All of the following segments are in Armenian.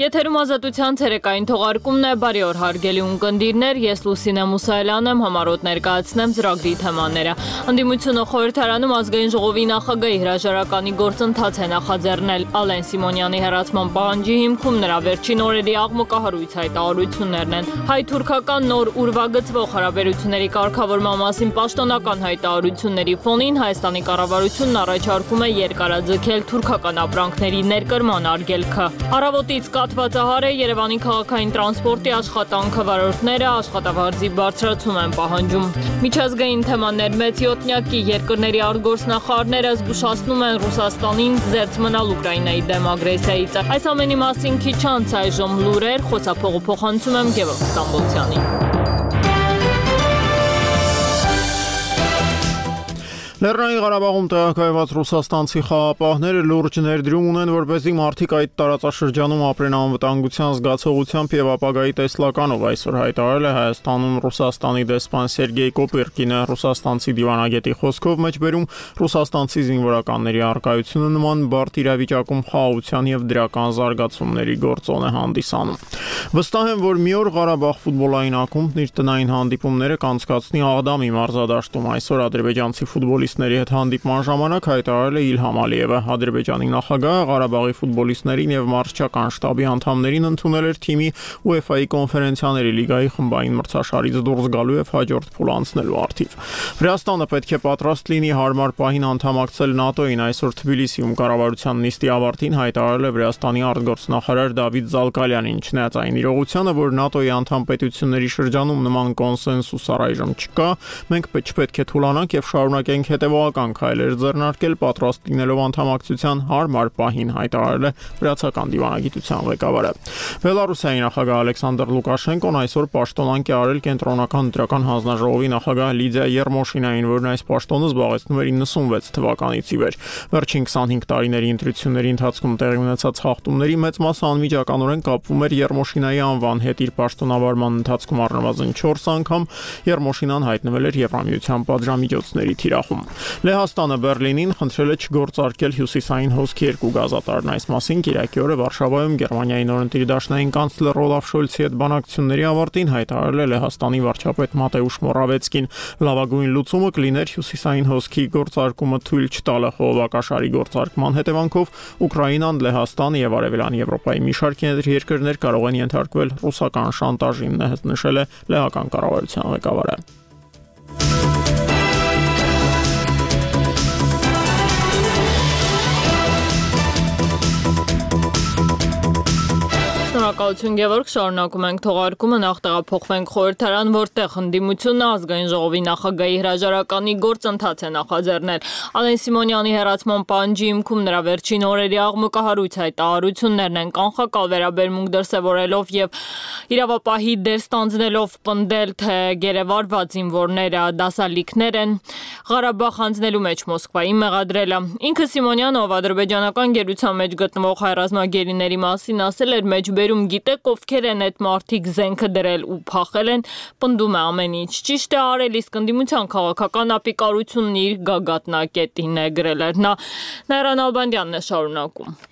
Եթերում ազատության ցերեկային թողարկումն է, բարի օր հարգելի ունկնդիրներ, ես Լուսինե Մուսայելյան եմ, համառոտ ներկայացնեմ ծրագրի թեմաները։ Ընդդիմությունը խորհրդարանում ազգային ժողովի նախագահի հրաժարականի գործընթաց է նախաձեռնել Ալեն Սիմոնյանի հեռացման պահանջի հիմքում նրա վերջին օրերի աղմկահարույց հայտարարություններն են։ Հայ-թուրքական նոր ուրվագծվող հարաբերությունների կարգավորման մասին պաշտոնական հայտարարությունների ֆոնին Հայաստանի կառավարությունն առաջարկում է երկարաձգել թուրքական ապրանքների ներկրման արգելքը։ Առավոտից կաթվածահար է Երևանի քաղաքային տրանսպորտի աշխատանքը, վարորդները աշխատավարձի բարձրացում են պահանջում։ Միջազգային թեմաներ մեծ յոթնյակի երկրների արտգործնախարարները զգուշացնում են Ռուսաստանին զերծ մնալ Ուկրաինայի դեմ ագրեսիայից։ Այս ամենի մասին քիչ անց այժմ լուրեր, խոսափողը փոխանցում եմ Գևորգ Ստամբոլցյանին։ Լեռնային Ղարաբաղում տեղակայված ռուսաստանցի խաղապահները լուրջ ներդրում ունեն, որպեսզի մարդիկ այդ տարածաշրջանում ապրեն անվտանգության զգացողությամբ եւ ապագայի տեսլականով, այսօր հայտարարել է Հայաստանում Ռուսաստանի դեսպան Սերգեյ Կոպիրկինը։ Ռուսաստանցի դիվանագետի խոսքով մեջբերում ռուսաստանցի զինվորականների առկայությունը նման բարդ իրավիճակում խաղաղության եւ դրական զարգացումների գործոն է հանդիսանում։ Վստահ եմ, որ մի օր Ղարաբաղ ֆուտբոլային ակումբն իր տնային հանդիպումները կանցկացնի Աղդամի մարզադաշտում։ Այսօր ադրբեջանցի ֆուտբոլիստների հետ հանդիպման ժամանակ հայտարարել է Իլհամ Ալիևը։ Ադրբեջանի նախագահը Ղարաբաղի ֆուտբոլիստներին եւ մարզչական շտաբի անդամներին ընդունել էր թիմի UEFA-ի կոնֆերենցիաների լիգայի խմբային մրցաշարից դուրս գալու եւ հաջորդ փուլ անցնելու արդիվ։ Վրաստանը պետք է պատրաստ լինի հարմար պահին անդամակցել ՆԱՏՕ-ին։ Այսօր Թբիլիսիում կառավարության նիստի ավարտին հայտարարել է Վրաստանի արտգործնախարար Դավիթ Զալկալյանին։ Չնայած այն իրողությանը, որ ՆԱՏՕ-ի անդամ պետությունների շրջանում նման կոնսենսուս առայժմ չկա, մենք չպետք է թուլանանք եւ շարունակենք հետևողական քայլեր ձեռնարկել պատրաստ լինելով անդամակցության հարմար պահին, հայտարարել է վրացական դիվանագիտության ղեկավարը։ Բելարուսիայի նախագահ Ալեքսանդր Լուկաշենկոն այսօր պաշտոնանկ է արել կենտրոնական ընտրական հանձնաժողովի նախագահ Լիդիա Երմոշինային, որն այս պաշտոնը զբաղեցնում էր 96 թվականից ի վեր։ Վերջին 25 տարիների ընտրությունների ընթացքում տեղի ունեցած խախտումների մեծ մասը անմիջականորեն կապվում էր Երմոշինայի անվան հետ։ Իր պաշտոնավարման ընթացքում առնվազն 4 անգամ Երմոշինան հայտնվել էր Եվրամիության պատժամիջոցների թիրախում։ Լեհաստանը Բերլինին խնդրել է չգործարկել հյուսիսային հոսքի 2 գազատարն։ Այս մասին կիրակի օրը Վարշավայում Գերմանիայի նորընտիր դաշնային կանցլեր Օլաֆ Շոլցի հետ բանակցությունների ավարտին հայտարարել է Լեհաստանի վարչապետ Մատեուշ Մորավեցկին։ Լավագույն լուծումը կլիներ հյուսիսային հոսքի գործարկումը թույլ չտալը։ Խողովակաշարի գործարկման հետևանքով Ուկրաինան, Լեհաստանը եւ Արևելյան Եվրոպայի մի շարք երկրներ կարող են ենթարկվել ռուսական շանտաժին, նշել է լեհական կառավարության ղեկավարը։ Շնորհակալություն Գևորգ, շարունակում ենք թողարկումը, նախ տեղափոխվենք խորհրդարան, որտեղ ընդդիմությունը ազգային ժողովի նախագահի հրաժարականի գործընթաց է նախաձեռնել։ Ալեն Սիմոնյանի հեռացման պահանջի հիմքում նրա վերջին օրերի աղմկահարույց հայտարարություններն են, կանխակալ վերաբերմունք դրսևորելով եւ իրավապահի դեր ստանձնելով պնդել, թե գերեվարված զինվորները դասալիքներ են Ղարաբաղ հանձնելու մեջ Մոսկվայի մեղադրել է։ Ինքը Սիմոնյանը, ով ադրբեջանական գերության մեջ գտնվող հայ ռազմագերիների մասին ասել էր, մեջբերում գիտեք ովքեր են այդ մարդիկ զենքը դրել ու փախել են, պնդում է ամեն ինչ ճիշտ է արել, իսկ ընդդիմության քաղաքական ապիկարությունն իր գագաթնակետին է գրել էր նա։ Նայրան Ալբանդյանն է շարունակում։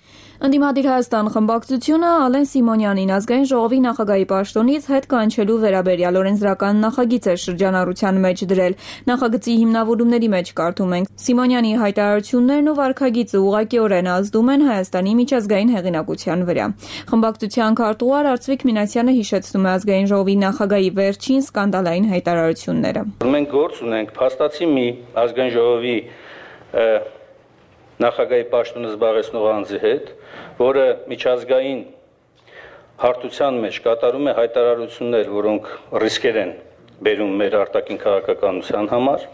Ընդդիմադիր Հայաստան խմբակցությունը Ալեն Սիմոնյանին ազգային ժողովի նախագահի պաշտոնից հետ կանչելու վերաբերյալ օրենսդրական նախագիծ է շրջանառության մեջ դրել։ Նախագծի հիմնավորումների մեջ կարդում ենք. Սիմոնյանի հայտարարություններն ու վարքագիծը ուղղակիորեն ազդում են Հայաստանի միջազգային հեղինակության վրա։ Խմբակցության քարտուղար Արծվիկ Մինասյանը հիշեցնում է ազգային ժողովի նախագահի վերջին սկանդալային հայտարարությունները։ Մենք գործ ունենք փաստացի մի ազգային ժողովի նախագահի պաշտոնը զբաղեցնող անձի հետ, որը միջազգային հարթության մեջ կատարում է հայտարարություններ, որոնք ռիսկեր են բերում մեր արտաքին քաղաքականության համար։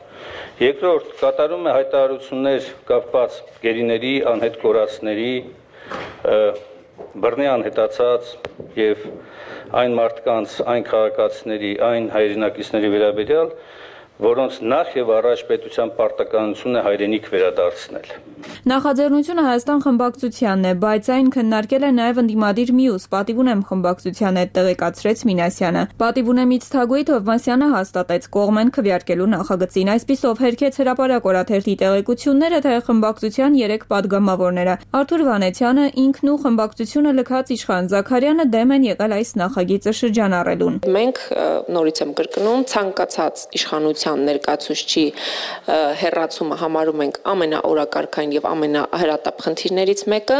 Երկրորդ, կատարում է հայտարարություններ կապված գերիների, անհետ կորածների, բռնի անհետացած եւ այն մարդկանց, այն քաղաքացիների, այն հայրենակիցների վերաբերյալ, որոնց նախ եւ առաջ պետության պարտականությունը հայրենիք վերադարձնել։ Նախաձեռնությունը Հայաստան խմբակցությանն է, բայց այն քննարկել է նաև ընդդիմադիր մյուս Պատիվ ունեմ խմբակցության հետ տեղեկացրեց Մինասյանը։ Պատիվ ունեմից Թագուհի Թովմասյանը հաստատեց կողմեն քվեարկելու նախագծին, այսպիսով հերքեց հրապարակ օրաթերթի տեղեկությունները, թե խմբակցության 3 падգամավորները Արթուր Վանեցյանը, ինքն ու խմբակցությունը լքած Իշխան Զաքարյանը դեմ են եղել այս նախագիծը շրջանառելուն։ Մենք նորից եմ կրկնում, ցանկացած իշխանության ներկայացուցչի հերացումը համարում ենք ամենաօրակարգային եւ ամենահրատապ խնդիրներից մեկը,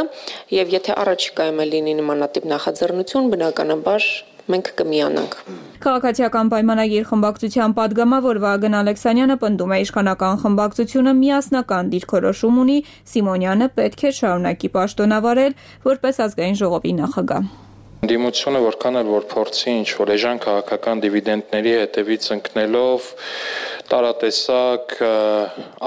եւ եթե առաջիկայում լինի նմանատիպ նախաձեռնություն, բնականաբար մենք կմիանանք։ Քաղաքացիական պայմանագիր խմբակցության падգամավոր Վահագն Ալեքսանյանը պնդում է իշխանական խմբակցությունը միասնական դիրքորոշում ունի, Սիմոնյանը պետք է շարունակի պաշտոնավարել որպես ազգային ժողովի նախագահ։ Դիմությունը որքան էլ որ փորձի ինչ-որ էժան քաղաքական դիվիդենդների հետևից ընկնելով տարատեսակ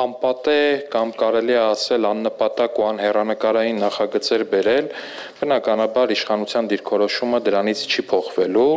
անպատե կամ կարելի է ասել աննպատակ ու անհեռանկարային նախագծեր բերել, բնականաբար իշխանության դիրքորոշումը դրանից չի փոխվելու։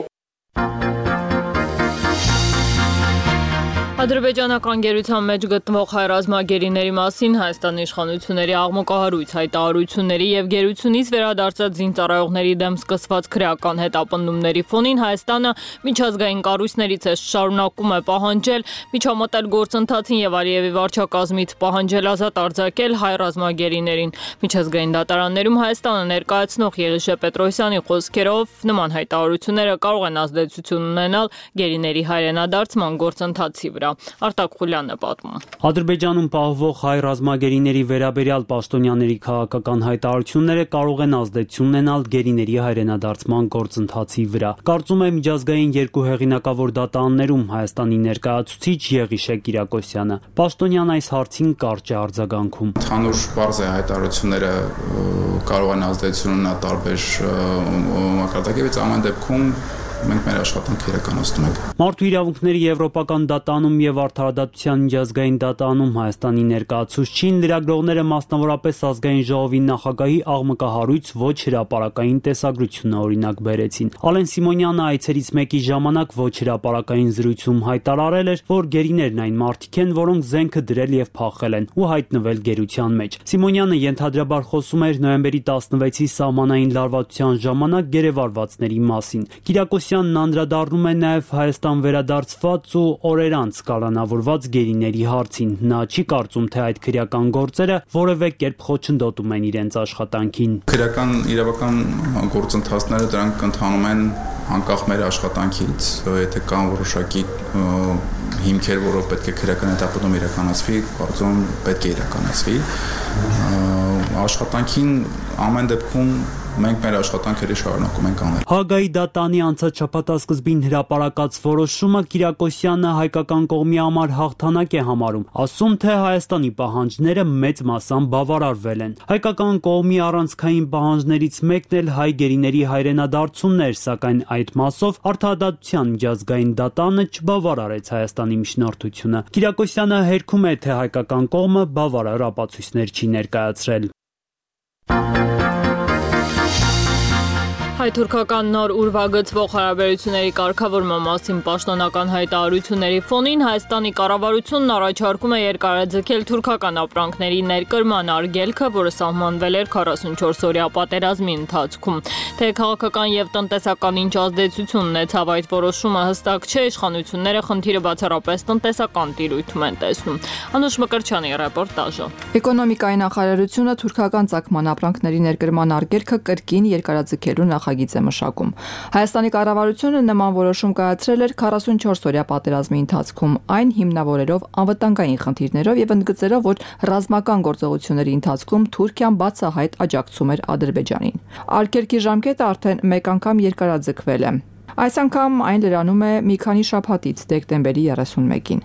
Ադրբեջանական գերության մեջ գտնվող հայ ռազմագերիների մասին Հայաստանի իշխանությունների աղմկահարույց հայտարարությունների եւ գերությունից վերադարձած զինծառայողների դեմ սկսված քրեական հետապնդումների ֆոնին Հայաստանը միջազգային կառույցներից է շարունակում է պահանջել միջամտել գործընթացին եւ Ալիևի վարչակազմից պահանջել ազատ արձակել հայ ռազմագերիներին։ Միջազգային դատարաններում Հայաստանը ներկայացնող Եղիշե Պետրոսյանի խոսքերով նման հայտարարությունները կարող են ազդեցություն ունենալ գերիների հայրենադարձման գործընթացի վրա։ Արտակ Խուլյանն է պատմում։ Ադրբեջանում պահվող հայ ռազմագերիների վերաբերյալ պաշտոնյաների քաղաքական հայտարարությունները կարող են ազդեցություն ունենալ գերիների հայրենադարձման գործընթացի վրա։ Կարծում է միջազգային երկու հեղինակավոր դատարաններում Հայաստանի ներկայացուցիչ Եղիշե Կիրակոսյանը։ Պաշտոնյան այս հարցին կարճ է արձագանքում։ Ընդհանուր բարձ է հայտարարությունները կարող են ազդեցություն ունենալ տարբեր մակարդակից, ամեն դեպքում մենք մեր աշխատանքը իրականացնում ենք։ Մարդու իրավունքների եվրոպական դատարանում եւ արդարադատության միջազգային դատարանում Հայաստանի ներկայացուցչին լրագրողները մասնավորապես ազգային ժողովի նախագահի աղմկահարույց ոչ հրապարակային տեսագրությունը օրինակ բերեցին։ Ալեն Սիմոնյանը այցերից մեկի ժամանակ ոչ հրապարակային զրույցում հայտարարել էր, որ գերիներն այն մարդիկ են, որոնք զենքը դրել եւ փախել են ու հայտնվել գերության մեջ։ Սիմոնյանը ենթադրաբար խոսում էր նոյեմբերի 16-ի սահմանային լարվածության ժամանակ գերեվարվածների մասին։ Կիրակոսյանն անդրադառնում է նաև Հայաստան վերադարձված ու օրեր անց կալանավորված գերիների հարցին։ Նա չի կարծում, թե այդ քրեական գործերը որևէ կերպ խոչընդոտում են իրենց աշխատանքին։ Քրեական իրավական գործընթացները դրանք ընթանում են անկախ մեր աշխատանքից, եթե կան որոշակի հիմքեր, որով պետք է քրեական հետապնդում իրականացվի, կարծում պետք է իրականացվի։ Աշխատանքին ամեն դեպքում մենք մեր աշխատանքերը շարունակում ենք անել։ Հագայի դատանի անցած շաբաթասկզբին հրապարակած որոշումը Կիրակոսյանը հայկական կողմի համար հաղթանակ է համարում, ասում թե Հայաստանի պահանջները մեծ մասամբ բավարարվել են։ Հայկական կողմի առանցքային պահանջներից մեկն էլ հայ գերիների հայրենադարձումն էր, սակայն այդ մասով արդարադատության միջազգային դատարանը չբավարարեց Հայաստանի միջնորդությունը։ Կիրակոսյանը հերքում է, թե հայկական կողմը բավարար ապացույցներ չի ներկայացրել։ Հայ-թուրքական նոր ուրվագծվող հարաբերությունների կարգավորման մասին պաշտոնական հայտարարությունների ֆոնին Հայաստանի կառավարությունն առաջարկում է երկարաձգել թուրքական ապրանքների ներկրման արգելքը, որը սահմանվել էր 44-օրյա պատերազմի ընթացքում։ Թե քաղաքական եւ տնտեսական ինչ ազդեցություն ունեցավ այդ որոշումը հստակ չէ, իշխանությունները խնդիրը բացառապես տնտեսական տիրույթում են տեսնում։ Անուշ Մկրտչյանի ռեպորտաժը։ Էկոնոմիկայի նախարարությունը թուրքական ծագման ապրանքների ներկրման արգելքը կրկին երկարաձգելու նախագիծ է մշակում։ Հայաստանի կառավարությունը նման որոշում կայացրել էր 44-օրյա պատերազմի ընթացքում, այն հիմնավորելով անվտանգային խնդիրներով եւ ընդգծելով, որ ռազմական գործողությունների ընթացքում Թուրքիան բացահայտ աջակցում էր Ադրբեջանին։ Արգելքի ժամկետը արդեն մեկ անգամ երկարաձգվել է։ Այս անգամ այն լրանում է մի քանի շաբաթից դեկտեմբերի 31-ին։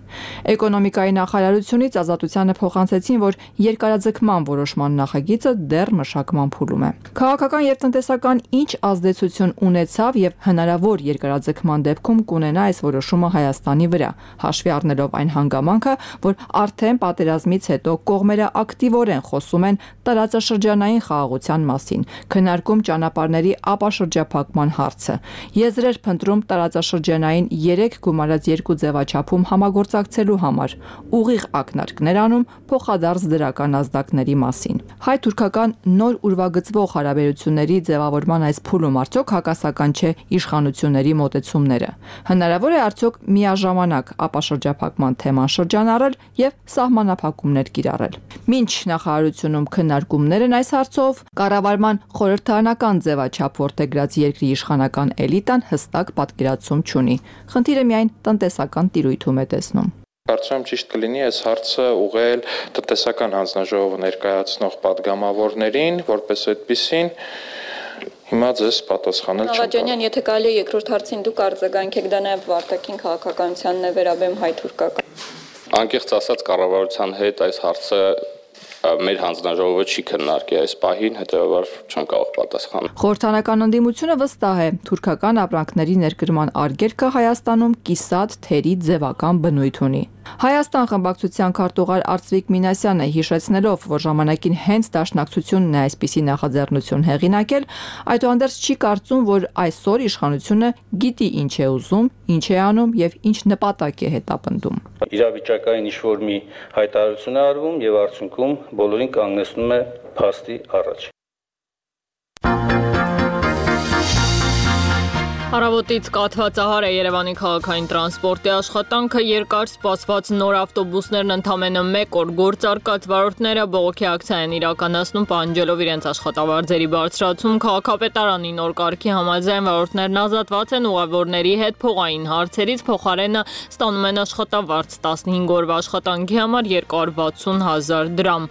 Էկոնոմիկայի նախարարությունից Ազատությանը փոխանցեցին, որ երկարաձգման որոշման նախագիծը դեռ մշակման փուլում է։ Քաղաքական եւ տնտեսական ինչ ազդեցություն ունեցավ եւ հնարավոր երկարաձգման դեպքում կունենա այս որոշումը Հայաստանի վրա, հաշվի առնելով այն հանգամանքը, որ արդեն պատերազմից հետո կողմերը ակտիվորեն խոսում են տարածաշրջանային խաղաղության մասին, քննարկում ճանապարհների ապաշրջափակման հարցը, եզրեր փնտրում տարածաշրջանային 3 գումարած 2 ձևաչափում համագործակցելու համար, ուղիղ ակնարկներ անում փոխադարձ դրական ազդակների մասին։ Հայ-թուրքական նոր ուրվագծվող հարաբերությունների ձևավորման այս փուլում արդյոք հակասական չէ իշխանությունների մոտեցումները։ Հնարավոր է արդյոք միաժամանակ ապաշրջափակման թեման շրջանառել եւ սահմանափակումներ կիրառել։ Մինչ նախարարությունում քննարկումներ են այս հարցով, կառավարման խորհրդարանական ձևաչափ որդեգրած երկրի իշխանական էլիտան հստակ պատկերացում չունի։ Խնդիրը միայն տնտեսական տիրույթում է տեսնում։ Կարծում եմ ճիշտ կլինի այս հարցը ուղղել տնտեսական հանձնաժողովը ներկայացնող падգամավորներին, որպես այդպիսին հիմա ձեզ պատասխանել չեմ կարող։ Աղաջանյան, եթե կարելի է երկրորդ հարցին դուք արձագանքեք, դա նաև վարտակին քաղաքականությանն է վերաբերում հայ-թուրքական։ Անկեղծ ասած կառավարության հետ այս հարցը մեր հանձնաժողովը չի քննարկի այս պահին, հետեւաբար չեմ կարող պատասխանել։ Խորհրդարանական ընդդիմությունը վստահ է, թուրքական ապրանքների ներկրման արգելքը Հայաստանում կիսատ թերի ձևական բնույթ ունի։ Հայաստան խմբակցության քարտուղար Արծվիկ Մինասյանը հիշեցնելով, որ ժամանակին հենց Դաշնակցությունն է այսպիսի նախաձեռնություն հեղինակել, այդուհանդերձ չի կարծում, որ այսօր իշխանությունը գիտի ինչ է ուզում, ինչ է անում եւ ինչ նպատակ է հետապնդում։ Իրավիճակային ինչ-որ մի հայտարարություն է արվում եւ արդյունքում բոլորին կանգնեցնում է փաստի առաջ։ Առավոտից կաթվածահար է Երևանի քաղաքային տրանսպորտի աշխատանքը, երկար սպասված նոր ավտոբուսներն ընդամենը 1 օր գործարկած վարորդները բողոքի ակցիա են իրականացնում, պահանջելով իրենց աշխատավարձերի բարձրացում։ Քաղաքապետարանի նոր կարգի համաձայն վարորդներն ազատված են ուղևորների հետ փողային հարցերից, փոխարենը ստանում են աշխատավարձ 15 օրվա աշխատանքի համար 260,000 դրամ,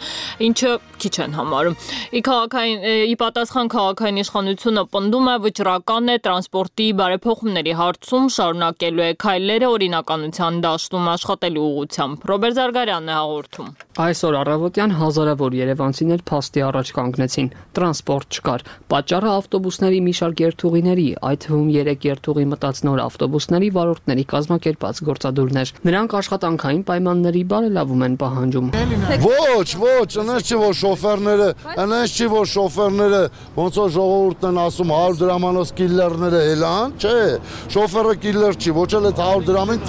ինչը քիչ են համարում։ Ի պատասխան քաղաքային իշխանությունը պնդում է վճռական է տրանսպորտի բարեփոխումների հարցում շարունակելու է քայլերը օրինականության դաշտում աշխատելու ուղղությամբ։ Ռոբերտ Զարգարյանն է հաղորդում։ Այսօր առավոտյան հազարավոր երևանցիներ փաստի առաջ կանգնեցին։ Տրանսպորտ չկար։ Պատճառը ավտոբուսների մի շարք երթուղիների, այդ թվում 3 երթուղի մտած նոր ավտոբուսների վարորդների կազմակերպած գործադուլներ։ Նրանք աշխատանքային պայմանների բարելավում են պահանջում։ Ոչ, այնպես չի, որ շոֆերները ոնց որ ժողովուրդն են ասում 100 դրամանոց կիլլերները հելան, չէ, շոֆերը կիլլեր չի, ոչ էլ այդ 100 դրամին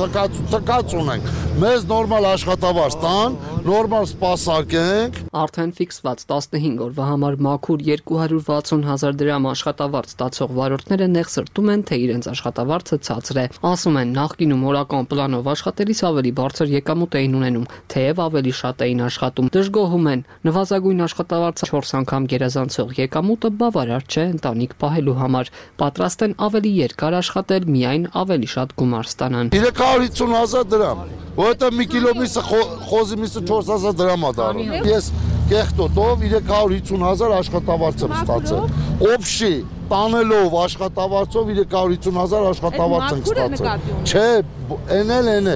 թքած ունենք։ Մեզ նորմալ աշխատավարձ տան, նորմալ սպասարկենք։ Արդեն ֆիքսված 15 օրվա համար մաքուր 260,000 դրամ աշխատավարձ ստացող վարորդները նեղսրտում են, թե իրենց աշխատավարձը ցածր է։ Ասում են, նախկինում օրական պլանով աշխատելիս ավելի բարձր եկամուտ էին ունենում, թեև ավելի շատ էին աշխատում։ Դժգոհում են, նվազագույն աշխատավարձը 4 անգամ գերազանցող եկամուտը բավարար չէ ընտանիք պահելու համար։ Պատրաստ են ավելի երկար աշխատել, միայն ավելի շատ գումար ստանան։ 350,000 դրամ, որովհետև մի կիլո միսը խոզի միսը 4,000 դրամ է դառնում։ Ես կեղտոտով 350,000 աշխատավարձ եմ ստացել։ Օբշի տանելով աշխատավարձով 350,000 աշխատավարձ եմ ստացել։ Չէ, էնել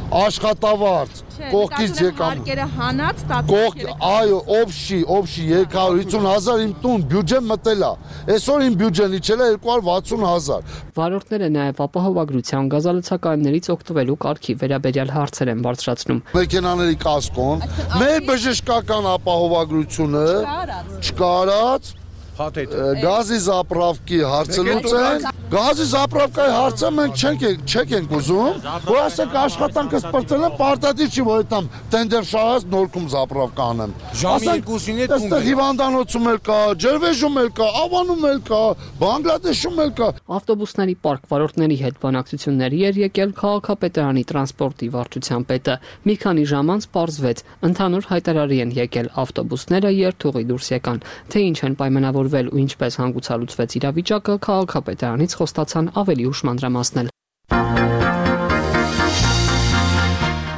աշխատավարձ կողքից եկամուտ հանած ստացել։ Այո, օբշի 350,000 իմ տուն բյուջեն մտել է։ Այսօր իմ բյուջեն իջել է 260,000։ Վարորդները նաև ապահովագրության գազալցականներից օգտվելու կարգի վերաբերյալ հարցեր են բարձրացնում։ Մեքենաների կասկոն, մեր բժշկական ապահովագրությունը չկարած գազի զապրավկի հարցը լուծեն։ Գազի զապրավկայի հարցը մենք չենք ուզում, որ ասենք աշխատանքը սպրծել են, պարտադիր չի, որ այդտամ տենդեր շահած նորքում զապրավկա անեմ։ Ժամիկուսին է տուն։ Այստեղ հիվանդանոցում էլ կա, Ջերվեժում էլ կա, Ավանում էլ կա, Բանգլադեշում էլ կա։ Ավտոբուսների պարկ վարորդների հետ բանակցությունների էր եկել քաղաքապետարանի տրանսպորտի վարչության պետը։ Մի քանի ժամ անց պարզվեց, ընդհանուր հայտարարի են եկել ավտոբուսները երթուղի դուրս եկան, թե ինչ են պայմանավորվել ու ինչպես հանգուցալուծվեց իրավիճակը, քաղաքապետարանից խոստացան ավելի ուշ մանրամասնել։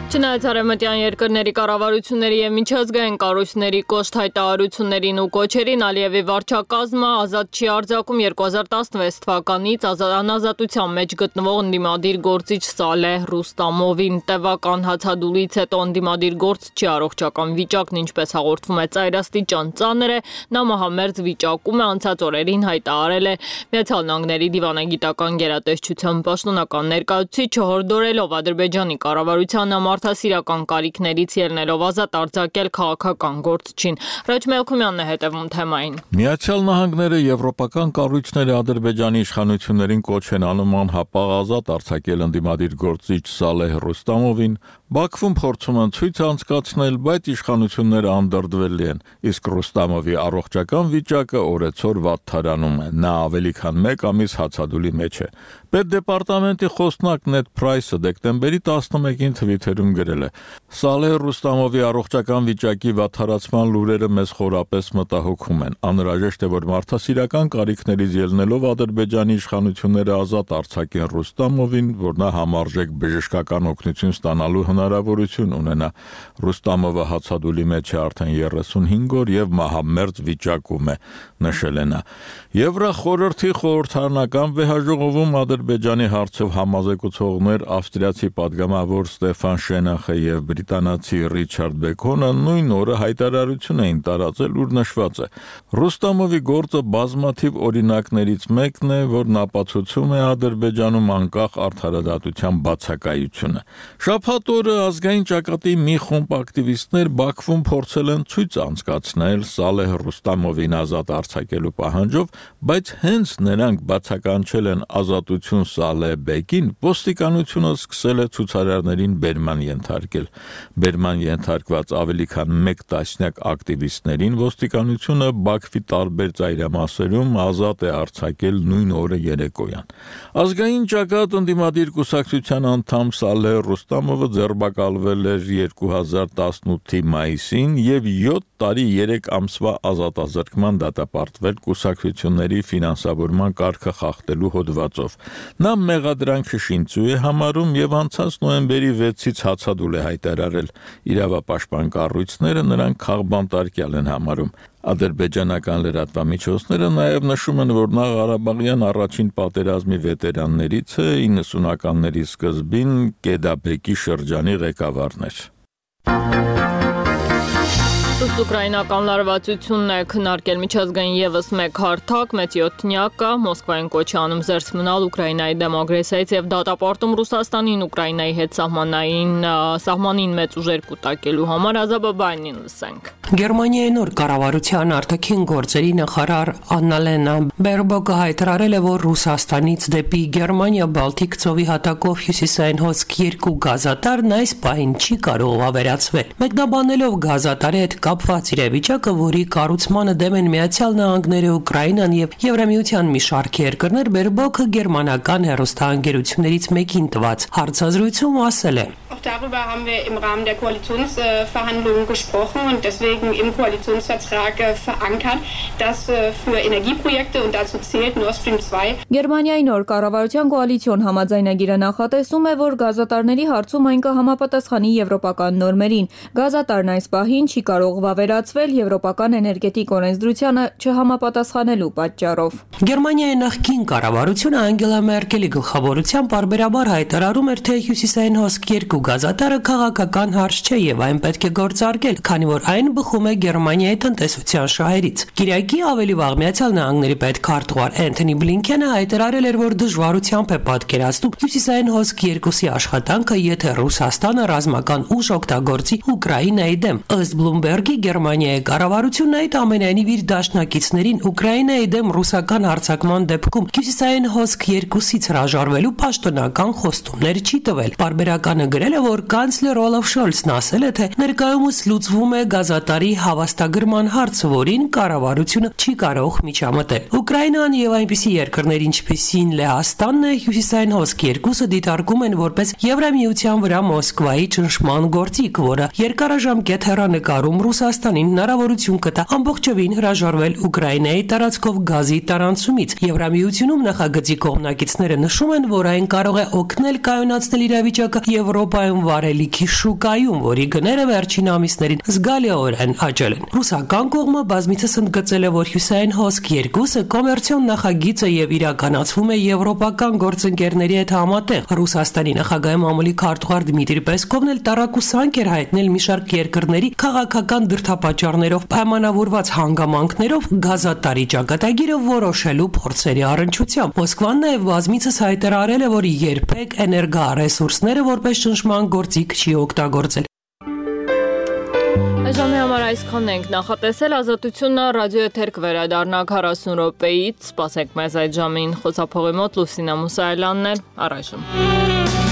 Չնայած արևմտյան երկրների կառավարությունների եւ միջազգային կառույցների կոշտ հայտարարություններին ու կոչերին, Ալիևի վարչակազմը ազատ չի արձակում 2016 թվականից անազատության մեջ գտնվող ընդդիմադիր գործիչ Սալեհ Ռուստամովին։ Տևական հացադուլից հետո ընդդիմադիր գործչի առողջական վիճակն ինչպես հաղորդվում է ծայրաստիճան ծանր է, նա մահամերձ վիճակում է, անցած օրերին հայտարարել է Միացյալ Նահանգների դիվանագիտական գերատեսչության պաշտոնական ներկայացուցիչը, հորդորելով Ադրբեջանի կառավարությանը մարդասիրական կարիքներից ելնելով ազատ արձակել քաղաքական գործչին։ Ռաջ Մելքումյանն է հետևում թեմային։ Միացյալ Նահանգները եվրոպական կառույցները Ադրբեջանի իշխանություններին կոչ են անում անհապաղ ազատ արձակել ընդդիմադիր գործիչ Սալեհ Ռուստամովին, Բաքվում փորձում են ցույց անցկացնել, բայց իշխանությունները անդրդվելի են, իսկ Ռուստամովի առողջական վիճակը օրեցօր վատթարանում է, նա ավելի քան 1 ամիս հացադուլի մեջ է։ Պետդեպարտամենտի խոսնակ Նեդ Փրայսը դեկտեմբերի 11-ին թվիթերում գրել է. Սալեհ Ռուստամովի առողջական վիճակի վատթարացման լուրերը մեզ խորապես մտահոգում են։ Անհրաժեշտ է, որ մարդասիրական կարիքներից ելնելով Ադրբեջանի իշխանությունները ազատ արձակեն Ռուստամովին, որ նա համարժեք բժշկական օգնություն ստանալու հնարավորություն ունենա։ Ռուստամովը հացադուլի մեջ է արդեն 35 օր եւ մահամերձ վիճակում է, նշել է նա։ Եվրախորհրդի խորհրդարանական վեհաժողովում Ադրբեջանի հարցով համազեկուցողներ ավստրիացի падգամավոր Ստեֆան Շենախը եւ բրիտանացի Ռիչարդ Բեկոնը նույն օրը հայտարարություն էին տարածել, ուր նշված է. Ռուստամովի գործը բազմաթիվ օրինակներից մեկն է, որն ապացուցում է Ադրբեջանում անկախ արդարադատության բացակայությունը։ Շաբաթ օրը ազգային ճակատի մի խումբ ակտիվիստներ Բաքվում փորձել են ցույց անցկացնել Սալեհ Ռուստամովին ազատ արձակելու պահանջով, բայց հենց նրանք բացականչել են ազատություն Սալեհ Բեկին, ոստիկանությունը սկսել է ցուցարարներին բերման ենթարկել։ Բերման ենթարկված ավելի քան 1 տասնյակ ակտիվիստներին ոստիկանությունը Բաքվի տարբեր ծայրամասերում ազատ է արձակել նույն օրը երեկոյան։ Ազգային ճակատ ընդդիմադիր կուսակցության անդամ Սալեհ Ռուստամովը ձերբակալվել էր 2018-ի մայիսին եւ 7 տարի 3 ամսվա ազատազրկման դատապարտվել կուսակցությունների ֆինանսավորման կարգը խախտելու հոդվածով։ Նա մեղադրանքը շինծու է համարում եւ անցած նոյեմբերի 6-ից հացադուլ է հայտարարել։ Իրավապաշտպան կառույցները նրան քաղբանտարկյալ են համարում։ Ադրբեջանական լրատվամիջոցները նաև նշում են, որ նա Ղարաբաղյան առաջին պատերազմի վետերաններից է, 90-ականների սկզբին Կեդաբեկի շրջանի ղեկավարն էր։ Ուկրաինական լարվածությունն է քննարկել միջազգային եւս մեկ հարթակ, մեծ 7-նյակը Մոսկվային կոչ անում զերծ մնալ Ուկրաինայի դեմ ագրեսիայից եւ դատապարտում Ռուսաստանին Ուկրաինայի հետ սահմանին մեծ ուժեր կուտակելու համար Ազաբաբանին լսենք։ Գերմանիայի նոր կառավարության արտաքին գործերի նախարար Աննալենա Բերբոկը հայտարարել է, որ Ռուսաստանից դեպի Գերմանիա Բալտիկ ծովի հատակով հյուսիսային հոսք 2 գազատարն այս պահին չի կարող ավերացվել։ Մեկնաբանելով գազատարի հետ կապված իրավիճակը, որի կառուցմանը դեմ են Միացյալ Նահանգները, Ուկրաինան եւ Եվրամիության մի շարք երկրներ, Բերբոկը գերմանական հեռուստաընկերություններից մեկին տված հարցազրույցում ասել է. Darüber haben wir im Rahmen der Koalitionsverhandlungen gesprochen und deswegen im Koalitionsvertrag verankert, dass für Energieprojekte und dazu zählt Nord Stream 2 Գերմանիայի նոր կառավարության կոալիցիոն համաձայնագիրը նախատեսում է, որ գազատարների հարցում այն կհամապատասխանի եվրոպական նորմերին։ Գազատարն այս պահին չի կարող վավերացվել եվրոպական էներգետիկ օրենսդրությանը չհամապատասխանելու պատճառով։ Գերմանիայի նախկին կառավարությունը Անգելա Մերկելի գլխավորությամբ բարբերաբար հայտարարում էր, թե հյուսիսային հոսք 2 գազատարը քաղաքական հարց չէ եւ այն պետք է գործարկել, քանի որ այն բխում է Գերմանիայի տնտեսության շահերից։ Կիրակի ավելի վաղ Միացյալ Նահանգների պետքարտուղար Էնթոնի Բլինքենը հայտարարել էր, որ դժվարությամբ է պատկերացնում հյուսիսային հոսք 2-ի աշխատանքը, եթե Ռուսաստանը ռազմական ուժ օգտագործի Ուկրաինայի դեմ։ Ըստ Բլումբերգի Գերմանիայի կառավարությունն այդ ամենայնիվ իր դաշնակիցներին Ուկրաինայի դեմ ռուսական հարձակման դեպքում հյուսիսային հոսք 2-ից հրաժարվելու պաշտոնական խոստումներ չի տվել։ Բարբերականը գրել է, որ կանցլեր Օլաֆ Շոլցն ասել է, թե ներկայումս լուծվում է գազատարի հավաստագրման հարցը, որին կառավարությունը չի կարող միջամտել։ Ուկրաինան եւ այնպիսի երկրներ, ինչպիսին Լեհաստանն է, հյուսիսային հոսք 2-ը դիտարկում են որպես Եվրամիության վրա Մոսկվայի ճնշման գործիք, որը երկարաժամկետ հեռանկարում Ռուսաստանին հնարավորություն կտա ամբողջովին հրաժարվել Ուկրաինայի տարածքով գազի տարանցումից։ Եվրամիությունում նախագծի կողմնակիցները նշում են, որ այն կարող է օգնել կայունացնել իրավիճակը Եվրոպայում վարելիքի շուկայում, որի գները վերջին ամիսներին զգալիորեն աճել են։ Ռուսական կողմը բազմիցս ընդգծել է, որ հյուսային հոսք 2-ը կոմերցիոն նախագիծ է եւ իրականացվում է եվրոպական գործընկերների հետ համատեղ։ Ռուսաստանի նախագահի մամուլի քարտուղար Դմիտրի Պեսկովն էլ տարակուսանք էր հայտնել մի շարք երկրների քաղաքական դրդապատճառներով պայմանավորված հանգամանքներով գազատարի ճակատագիրը որոշելու փորձերի առնչությամբ։ Մոսկվան նաև բազմիցս հայտարարել է, որ երբեք էներգառեսուրսները որպես ճնշման գործիք չի օգտագործել։ Ժամի համար այսքանն ենք նախատեսել, Ազատությունն ռադիոեթեր կվերադառնա 40 րոպեից, սպասեք մեզ այդ ժամին, խոսափողի մոտ Լուսինա Մուսայելյանն է, առայժմ։